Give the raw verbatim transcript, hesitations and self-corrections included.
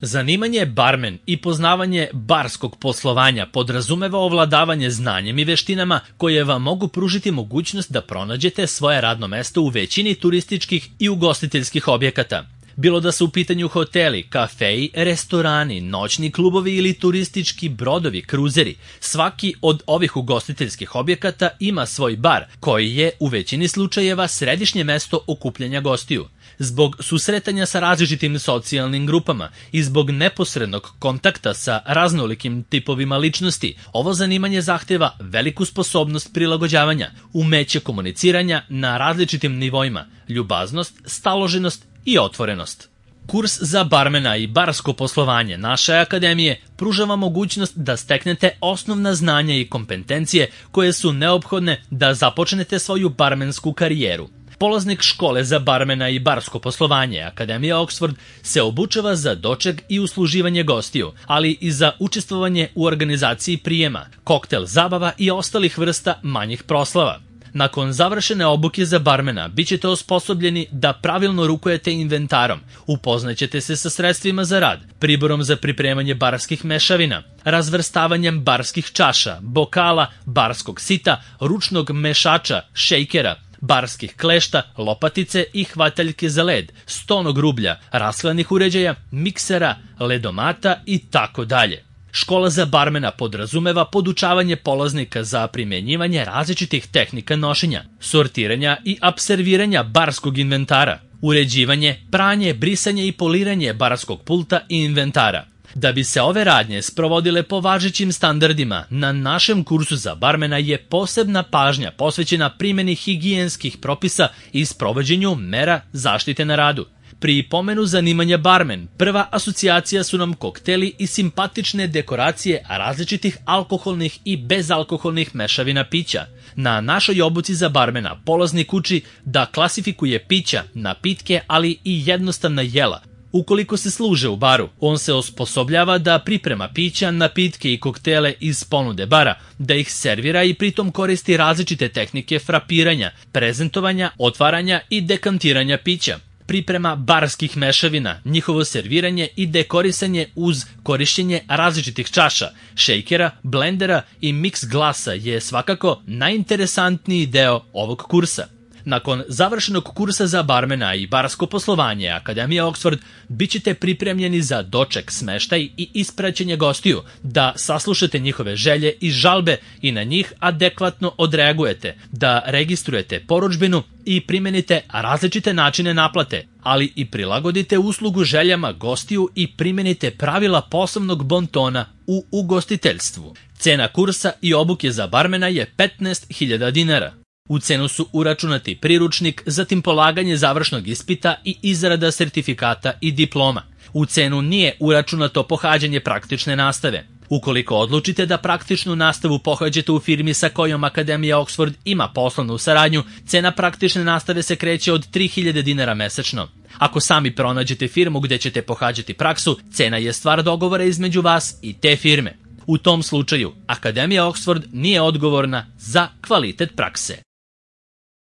Zanimanje barmen i poznavanje barskog poslovanja podrazumeva ovladavanje znanjem i veštinama koje vam mogu pružiti mogućnost da pronađete svoje radno mesto u većini turističkih i ugostiteljskih objekata. Bilo da su u pitanju hoteli, kafeji, restorani, noćni klubovi ili turistički brodovi, kruzeri, svaki od ovih ugostiteljskih objekata ima svoj bar, koji je u većini slučajeva središnje mesto okupljanja gostiju. Zbog susretanja sa različitim socijalnim grupama i zbog neposrednog kontakta sa raznolikim tipovima ličnosti, ovo zanimanje zahteva veliku sposobnost prilagođavanja, umeće komuniciranja na različitim nivoima, ljubaznost, staloženost i otvorenost. Kurs za barmena i barsko poslovanje naše akademije pruža vam mogućnost da steknete osnovna znanja i kompetencije koje su neophodne da započnete svoju barmensku karijeru. Polaznik škole za barmena i barsko poslovanje Akademija Oxford se obučava za doček i usluživanje gostiju, ali i za učestvovanje u organizaciji prijema, koktel zabava i ostalih vrsta manjih proslava. Nakon završene obuke za barmena bit ćete osposobljeni da pravilno rukujete inventarom, upoznaćete se sa sredstvima za rad, priborom za pripremanje barskih mešavina, razvrstavanjem barskih čaša, bokala, barskog sita, ručnog mešača, šejkera, barskih klešta, lopatice i hvataljke za led, stonog rublja, rashladnih uređaja, miksera, ledomata i tako dalje. Škola za barmena podrazumeva podučavanje polaznika za primjenjivanje različitih tehnika nošenja, sortiranja i apserviranja barskog inventara, uređivanje, pranje, brisanje i poliranje barskog pulta i inventara. Da bi se ove radnje sprovodile po važećim standardima, na našem kursu za barmena je posebna pažnja posvećena primjeni higijenskih propisa i sprovođenju mera zaštite na radu. Pri pomenu zanimanja barmen, prva asocijacija su nam kokteli i simpatične dekoracije različitih alkoholnih i bezalkoholnih mešavina pića. Na našoj obuci za barmena polaznik uči da klasifikuje pića, napitke, ali i jednostavna jela. Ukoliko se služe u baru, on se osposobljava da priprema pića, napitke i koktele iz ponude bara, da ih servira i pritom koristi različite tehnike frapiranja, prezentovanja, otvaranja i dekantiranja pića. Priprema barskih mešavina, njihovo serviranje i dekorisanje uz korišćenje različitih čaša, šejkera, blendera i mix glasa je svakako najinteresantniji deo ovog kursa. Nakon završenog kursa za barmena i barsko poslovanje Akademija Oxford bit ćete pripremljeni za doček, smeštaj i ispraćenje gostiju, da saslušate njihove želje i žalbe i na njih adekvatno odreagujete, da registrujete porudžbinu i primenite različite načine naplate, ali i prilagodite uslugu željama gostiju i primenite pravila poslovnog bontona u ugostiteljstvu. Cena kursa i obuke za barmena je petnaest hiljada dinara. U cenu su uračunati priručnik, zatim polaganje završnog ispita i izrada sertifikata i diploma. U cenu nije uračunato pohađanje praktične nastave. Ukoliko odlučite da praktičnu nastavu pohađate u firmi sa kojom Akademija Oxford ima poslovnu saradnju, cena praktične nastave se kreće od tri hiljade dinara mesečno. Ako sami pronađete firmu gde ćete pohađati praksu, cena je stvar dogovora između vas i te firme. U tom slučaju, Akademija Oxford nije odgovorna za kvalitet prakse.